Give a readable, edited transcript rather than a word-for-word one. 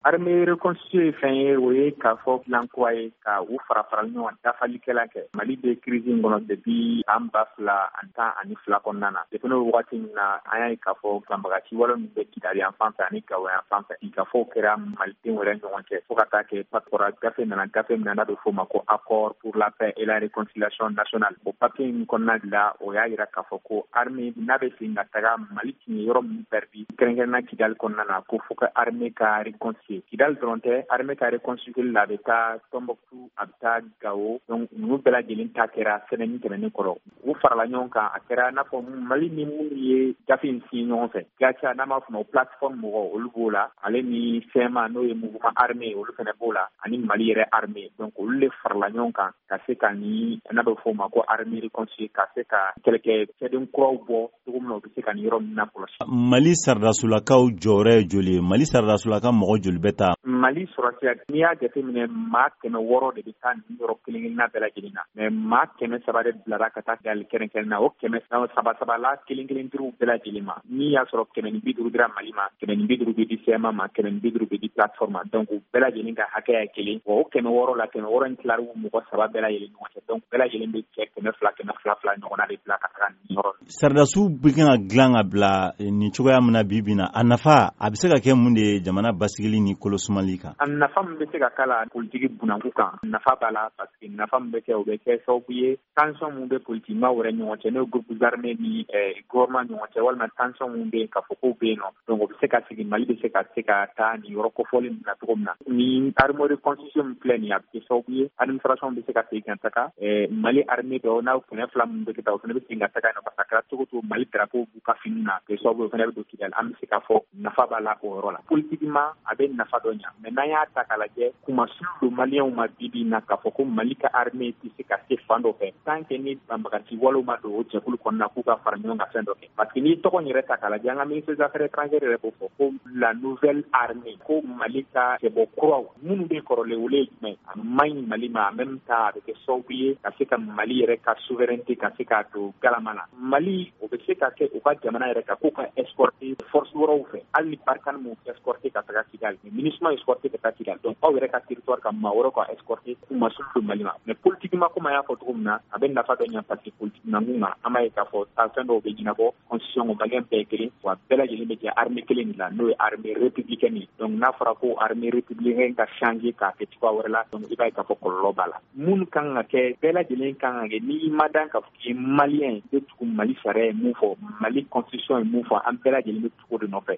Armée reconstituée ye fɛn ye, o ye k'a fɔ plan kura ye ka u fara fara ɲɔgɔn, dafalikɛla kɛ. Mali bɛ crise in kɔnɔ depuis an 2012 kɔnɔna na. Depuis n'o wagati min na, an y'a ye k'a fɔ banbagaci wale min bɛ Kidali yan fan fɛ ani Gawo yan fan fɛ, sigikafɔw kɛra malidenw yɛrɛ ɲɔgɔn cɛ, fo ka taa kɛ kɔra gafe nana, gafe min na n'a bɛ f'o ma ko Accord pour la paix et la réconciliation nationale. O papier in kɔnɔna de la, o y'a yira k'a fɔ ko armée n'a bɛ segin ka taga Mali tun ye yɔrɔ min perdu, kɛrɛnkɛrɛnna Kidali kɔnɔna na, ko fo ka armée ka reconstituer. Kidali dɔrɔn tɛ, armée ka reconstituer la, a bɛ taa Tombouctou, a bɛ taa Gao. Donc ninnu bɛɛ lajɛlen ta kɛra semaine tɛmɛnen kɔrɔ, u farala ɲɔgɔn kan. A kɛra n'a fɔ Mali ni minnu ye gafe in signé ɲɔgɔn fɛ, GATIA n'an b'a fɔ ma plateforme mɔgɔw, olu b'o la, ale ni CMA, n'o ye mouvement armé, olu fana b'o la, ani Mali yɛrɛ armée. Donc olu de farala ɲɔgɔn kan ka se ka ni n'a bɛ fɔ o ma ko armée reconstituée, ka se ka kɛlɛkɛ cɛden kuraw bɔ cogo min na, u bɛ se ka nin yɔrɔ ninnu lakɔlɔsi. Mali saradasulakaw jɔyɔrɔ ye joli ye? Mali saradasulaka mɔgɔ joli bɛ taa? Mali sɔrɔsiya, n'i y'a jateminɛ, maa 600 de bɛ taa nin yɔrɔ kelen kelenna bɛɛ lajɛlen na, mais maa 300 de bilara ka taa Kidali kɛrɛnkɛrɛn na. O kɛmɛ saba saba la kelen kelen duuru bɛɛ lajɛlen ma, n'i y'a sɔrɔ 150 dira Mali ma, 150 bɛ di CMA ma, 150 bɛ di plateforme ma. Donc u bɛɛ lajɛlen ka hakɛya ye kelen. Wa o 600 la, 600 in tilar'u mɔgɔ saba bɛɛ lajɛlen ɲɔgɔn cɛ. Donc bɛɛ lajɛlen bɛ cɛ 200, 200 fila ɲɔgɔnna de bila ka taga nin yɔrɔ. Sardasiw bɛ kan ka dilan ka bila nin cogoya min na bi bi na, a nafa a bɛ se ka kɛ mun de ye jamana basigili ni kolosumali kan? A nafa min bɛ se ka k'a la politiki bunakun kan, nafa b'a la, parce que nafa min bɛ kɛ, o bɛ kɛ sababu ye tension min bɛ politikimaw yɛrɛ ɲɔgɔn cɛ, n'o ye groupes armés ni gouvernement ɲɔgɔn cɛ, walima tension min bɛ yen k'a fɔ k'o bɛ yen nɔ. Donc o bɛ se ka sigi, Mali bɛ se ka taa nin yɔrɔ kofɔlen ninnu na cogo min na. Ni armée reconstitution min filɛ nin ye, a bɛ kɛ sababu ye administration bɛ se ka segin ka taga Mali armée dɔw n'a 200 minnu bɛ kɛ taa, o fana bɛ segin ka taga yen nɔ, parce que a kɛra cogo cogo, Mali drapeau b'u ka fini na, kɛ sababu ye o fana bɛ don Kidali. An bɛ se k'a fɔ nafa b'a la o yɔrɔ la. Politiquement, a bɛ nafa dɔ ɲa, mais n'an y'a ta k'a lajɛ, kumasulu don maliyɛnw ma bi bi in na k'a fɔ ko Mali ka armée tɛ se ka se fan dɔ fɛ tant que ni banbagaci walew ma don o jɛkulu kɔnɔna k'u ka fara ɲɔgɔn kan fɛn dɔ kɛ. Parce que n'i tɔgɔ in yɛrɛ ta k'a lajɛ, an ka ministre des Affaires étrangères yɛrɛ b'o fɔ ko la nouvelle armée, ko Mali ka cɛbɔ kuraw minnu bɛ kɔrɔlen, olu ye jumɛn? A man ɲi Mali ma. En même temps, a bɛ kɛ sababu ye ka se ka Mali yɛrɛ ka souveraineté ka se k'a don galama na. Mali, o bɛ se ka kɛ u ka jamana yɛrɛ kan k'u ka escorter force wɛrɛw fɛ, hali ni Barkhane m'u escorter ka taga Kidali, mais MINUSMA escorter ka taa Kidali. Donc aw yɛrɛ ka territoire kan, maa wɛrɛw ka escorter, kumasulu don Mali ma. Mais politiquement, comme an y'a fɔ cogo min na, a bɛ nafa dɔ ɲa, parce que politique nakun kan, an b'a ye k'a fɔ taa fɛn dɔw bɛ ɲɛnabɔ constitution kɔnɔ, maliyɛn bɛɛ ye kelen wa, bɛɛ lajɛlen bɛ jɛ armée kelen de la, n'o ye armée républicaine ye. Donc n'a fɔra ko armée républicaine ka changer k'a kɛ cogoya wɛrɛ la, donc i b'a ye k'a fɔ kɔlɔlɔ b'a la. Mun kan ka kɛ, bɛɛ lajɛlen kan ka kɛ, n'i ma dan k'a fɔ k'i ye maliyɛn ye, i bɛ tugu Mali sariya ye mun fɔ, Mali constitution ye mun fɔ, an bɛɛ lajɛlen bɛ tugu o de nɔfɛ.